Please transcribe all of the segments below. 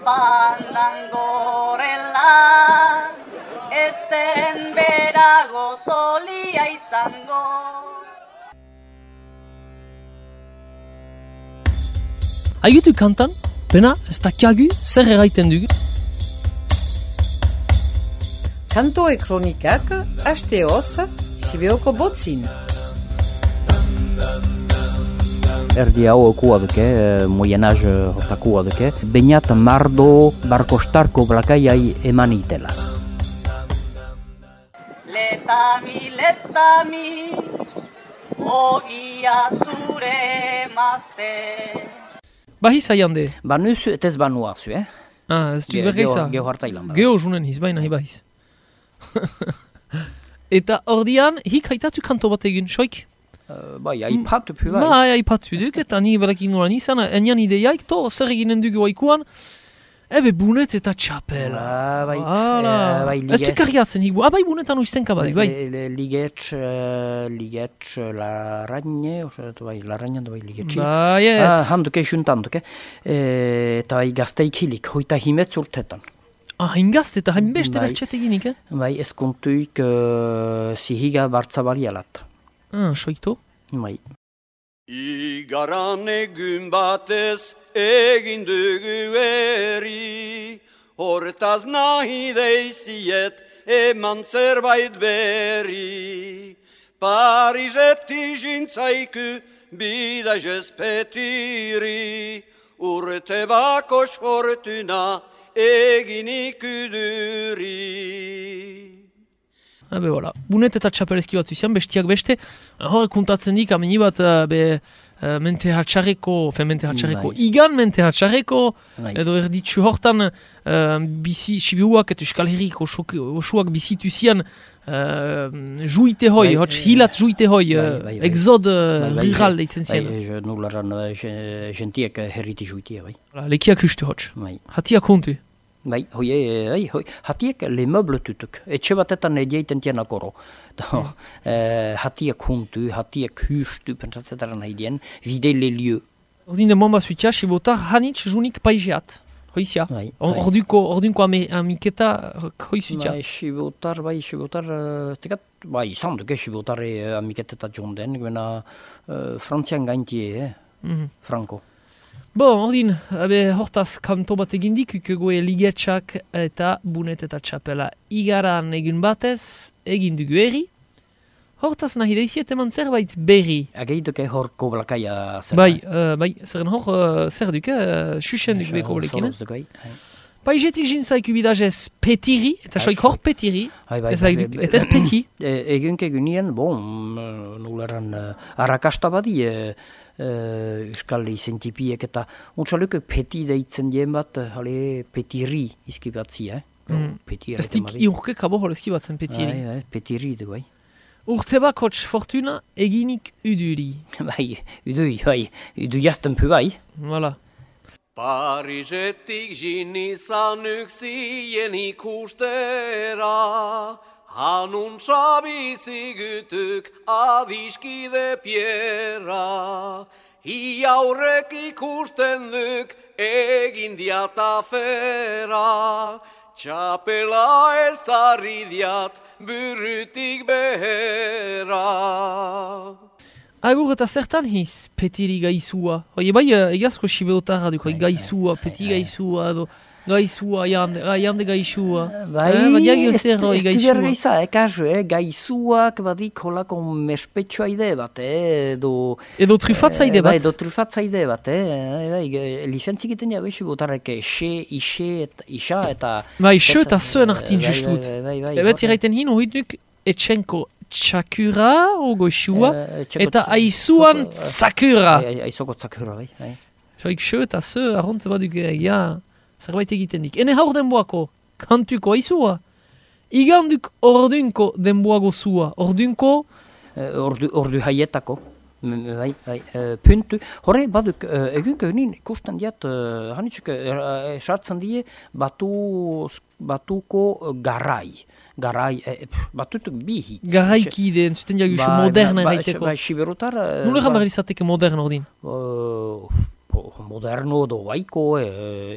Fandangorela, esten berago solia izango. Aigutu kantan, pena, ez dakiagu, zer eraiten dugu? Kantoe kronikak, hasteoz, Sibeoko botzin. Erdi hau okua duke, Moyen Âge hortakua duke, bainat mardo barkostarko blakaiai eman itela. Letami, ogia zure mazte. Bahiz haiande? Banuz etez banua zu, Ez du bergeiza? Geo hartailan. Geo junen hiz, baina bahiz. Eta ordian, hik haitatu kanto bat egin, soik? Bai, aipatu pu bai. Bai, aipatu duk, eta ni berakin nolan izan, enian ideiaik, to, zer eginen dugu haikuan, ebe bunet eta txapela. Bai, ez du karriatzen hik, bai bunetan uizten kabadik, bai. Ligetx, larraine, bai, larrainan bai ligetxi. Bai, ez. Handuke, juntanduke. Eta bai gazteik hilik, hoita himetz urtetan. Hain eta hain beste bertxet eginik, Bai, eskontuik zihiga bartzabarialat. Soikto? Bai. Igaran egun batez egin dugu eri, hortaz nahi deiziet eman zerbait berri. Parizetti jintzaiku bidazez petiri, urte bakos fortuna egin ikuduri. Habe, voilà. Bunet eta txapelezki bat zuzian, bestiak beste, hor kontatzen dik, ameni bat, mente hatxarreko, igan mente hatxarreko, edo erditzu hortan, Sibiuak eta Euskal Herriko osuak bizitu zian, juite hoi, hilat juite hoi, exod rural deitzen zian. Nularan gentiek herriti juitia, bai. Lekiak uste hotz. Hatiak kontu. Bai, hatiek le meuble tutuk. Etxe batetan edieiten tiena koro. Hatiek huntu, hatiek hustu, pentsatzetaren haidien, vide le lieu. Ordin de mamba zuitia, sibotar hanitz junik paizeat. Hoizia. Ordinko amiketa hoi zuitia. Sibotar, bai, izan duke sibotarre amiketeta jonden, gena frantzian gaintie, franko. Ordin, hortaz kanto bat egindik, ukegoe ligetxak eta bunet eta txapela igaran egin batez, egin dugu eri. Hortaz nahi deiziet eman zerbait berri. Ageiduke hor koblakaia zerbait. Bai, zerren hor zer duke, xuxen duke beko blekin. Paizetik jintzaik ubidazez petiri, eta soik hor petiri, eta ez peti. Egunke gunien, nularan arrakasta badi, Euskal izentipiek eta untxaluke peti deitzen dien bat, petiri izkibatzi, Ez dik iurke kabo hor izkibatzen petiri. Petiri du, bai. Urte bakotx fortuna eginik uduri. Bai, udu jazten pu, bai. Voilà. Parizetik jinizan uksien ikustera, hanuntza bizigutuk adiskide piera. Iaurrek ikusten duk egin diatafera, txapela ezarri diat burutik behera. Agur eta zertan hiz petiri gaizua? Bai, egazko sibeotarra duk, gaizua, peti gaizua, edo gaizua, jande gaizua. Bai, ez diber gaiza, gaizuak badik holako merspetsua ide bat, edo trufatza ide bat. Edo trufatza ide bat, lizentzik iten jago sibeotarrek, isa eta... Bai, xe eta zuen hartin justut. Ebet iraiten hin, hori duk etxenko txakura, goxua, eta aizuan tzakura. Aizoko tzakura, bai. Soik xe eta ze, arrontze baduk, zerbait egiten dik. Ene haur denboako, kantuko aizua. Iganduk ordunko denboago zua. Ordunko? Ordu haietako. Puntu. Horre, baduk, egunko unin ikusten diat, hanitxuk esartzen die, batuko garai. Batutuk bihitz. Garaikide, entzuten diagu, moderna eraiteko. Bai, siberotar... Nule jamar izateke modern ordin? moderno edo waiko,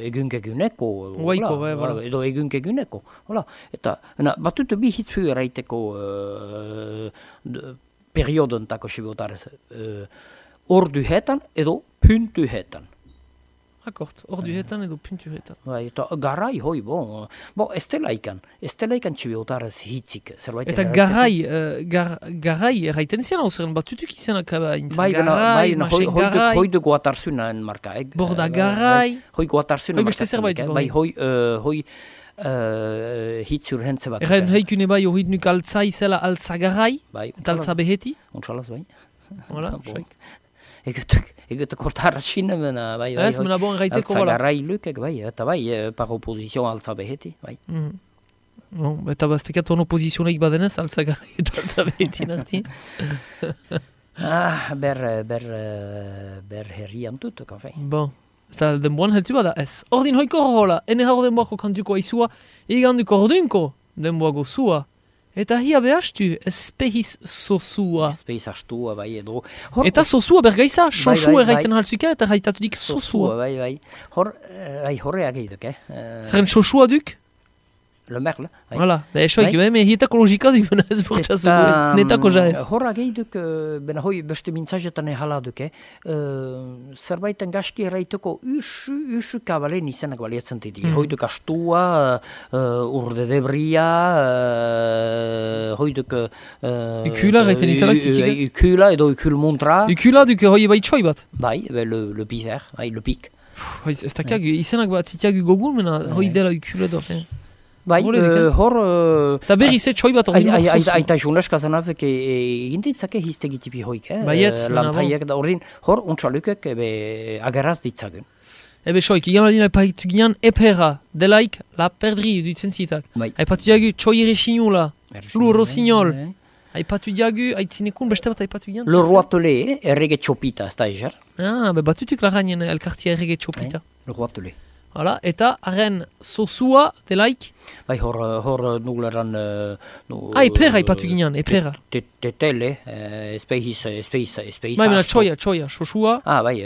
egunkeguneko. Waiko, bai, voilà. Edo egunkeguneko. Hola. Eta batut bi hitzu eraiteko periodontako sibotarez. Orduhetan edo puntuhetan. Akort, orduhetan edo puntuhetan. Bai, eta garai, hoi, bon, ez dela ikan txibiotarez hitzik, zerbait. Eta garai erraiten zian hau zeren batutuk izanak intzen. Bai, hoi du goatarzunan marka. Borda garai. Hoi goatarzunan marka. Hoi beste zerbait. Bai, hoi hitzur hentze bat. Erraiten haikune bai hori nuk altza izela altza garai, eta altza beheti. Untsalaz, bai. Hola, xoik. Egutu kortara sinemena, bai. Ez, mena bon erraiteko, altza garai lukek, bai, eta bai, par opposizion altza beheti, bai. Bon, eta baztekat ono pozizioneik badenez, altza garai eta altza beheti narti. Ber herrian tutuk, enfin. Bon, eta denboan heltu bada ez. Ordin hoiko hola, ene haro denboako kantuko aizua, iganduko ordunko denboago zua. Eta hia behastu, espehiz sosua. Espehiz astua, bai, edo. Eta sosua bergaiza, sosu erraiten halzuka, eta haitatudik sosua. Bai. Horreak eiduk, Zeren sosua duk? Le merle. Voilà, esoik, me hietako logika duk, ez bortzazu, netako jaez. Horreak eiduk, bena hoi beste mintzajetan ehala duk, zerbaiten gaski erraiteko usu kabalen izenak balietzen ditik. Hoi duk astua, urde debria, hoi duk... Ukula gaiten italak titiga? Ukula edo ukul montra. Ukula duk hoi bai txoi bat? Bai, le pizer, le pik. Ez dakiagu, izenak bat titiagu gogun, mena hoi dela ukula do. Bai, hor... Eta berri ze txoi bat ordin hor sosu. Aita juneska zanafek egintitzake hiztegitipi hoik, Baietz, lantaiek da ordin, hor untxalukek ageraz ditzagun. Ebe soik, igan aldin aipatu ginean epera, delaik la perdri dutzen zitak. Aipatu diagu txoi ere sinula, lu rossignol. Aipatu diagu, aitzinekun beste bat aipatu ginean. Le roatele, errege txopita, ez da ezer. Be batutuk laganen elkartia errege txopita. Le roatele. Hala, eta haren sosua delaik? Bai, hor nugleran... Epera aipatu ginean, epera. Tetele, espeiz. Bai, mena txoia, sosua. Bai,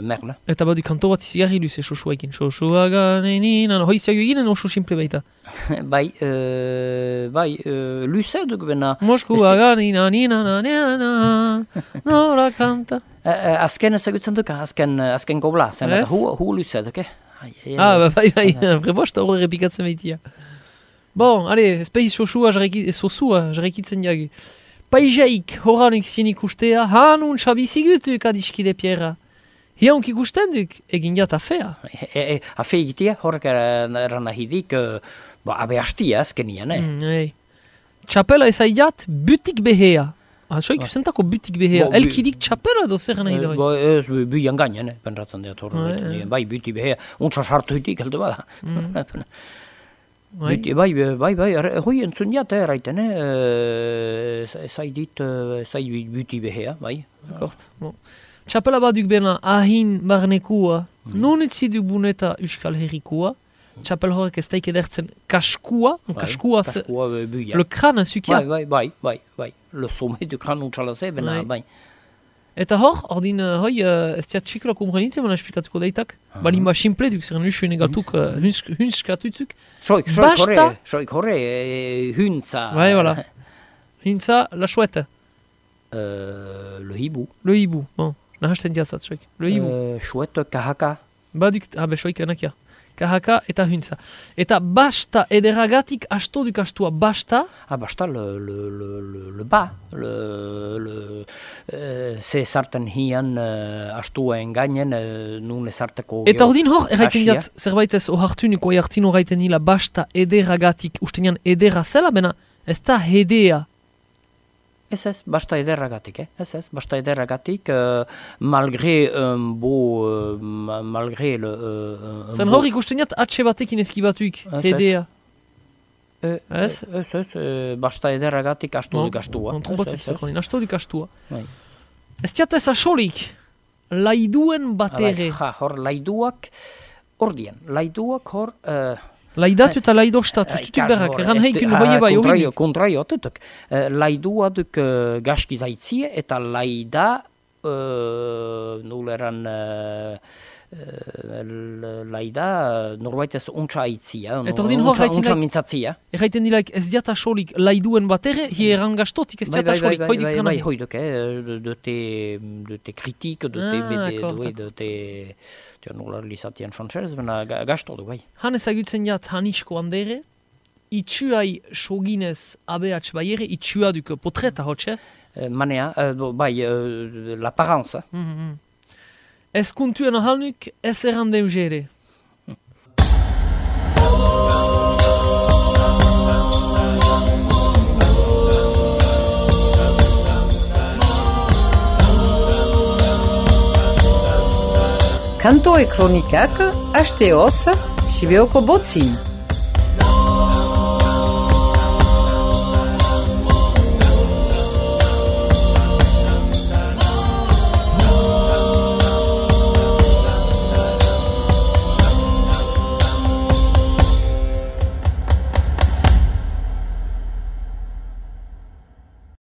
merle. Eta badu kanto bat izigarri luze sosua egin. Sosua ganenin, hoiztiago eginen oso simple baita. Bai, luze duk bena... Moskua ganina, nora kanta. Azken ezagutzen duk, azken gobla, zen eta hu luze duk, bai, prebosta horre repikatzen behitia. Bon, ale, espeiz sosua jarrekitzen diagu. Paiseik horanik zienik ustea, hanun xabizigutuk adiskide pierra. Hiaunk ikusten duk, egin jat afea. Afea egitea, horrek eran ahidik, abe hastia azkenian, Txapela ezaidat, butik behea. Soik zentako butik behea. Elkidik txapela edo zer nahi doi? Ez buian gainen, pentratzen dut horretan. Bai, buti behea. Untsa sartu hitik, heldu bada. Bai, hoi entzun jat, erraiten, zaidit buti behea, bai. Txapela baduk bena ahin barnekua, non etziduk buneta Euskal Herrikua, txapel horrek ez daik edertzen kaskua, le kran zukia. Bai, le sommet du kran untxalaze, bena, bai. Eta ordin, hoi, ez tiat txikula komprenitzen, bena esplikatuko daitak. Balin ba simple duk, zeren usuen egaltuk hunskatutzuk. Soik horre, huntza. Bai, voilà. Huntza, la chouette. Le hibou. Le hibou, bon. Nahasten diazat, soik. Le hibou. Chouette, kahaka. Baduk, soik enakia. Kahaka eta huntza. Eta basta ederagatik asto duk astua. Basta? Basta le ba. Ze sarten hian astua engainen, nun ezarteko... Eta ordin hor, erraiten jat, zerbait ez ohartuniko jartin horreiten hila basta ederagatik. Ustenian edera zela, bena ez da hedea. Ez, basta ederragatik, basta ederragatik, malgré le... Zen hor ikusten jat atxe batekin ezkibatuik, hedea. Ez, basta ederragatik astu duk astua. Astu duk astua. Ez tiat ez asolik, laiduen batere. Hor laiduak, hor... Laidatu eta laidostatu, tutuk berrak, eran heikin hoi bai hori. Kontraio, tutuk. Laidua duk gaski zaitzie eta laida nuleran laida, norbait ez untsa aitzia, untsa mintzatzia. Erraiten dilaik ez diata solik laiduen bat ere, hieran gastotik ez diata solik, hoidik gana. Bai, hoiduk, dute kritik, dute bede, dute nola lizatian frantzerez, bena gasto du, bai. Han ezagutzen jat Hanisko andere, itxuai soginez ABH baiere, itxua duk potreta hotxe? Manea, bai, l'apparence. Ez kuntuen ahalnuk, ez errande eugere. Kanto e kronikak, hasteoz, Sibeoko botzin.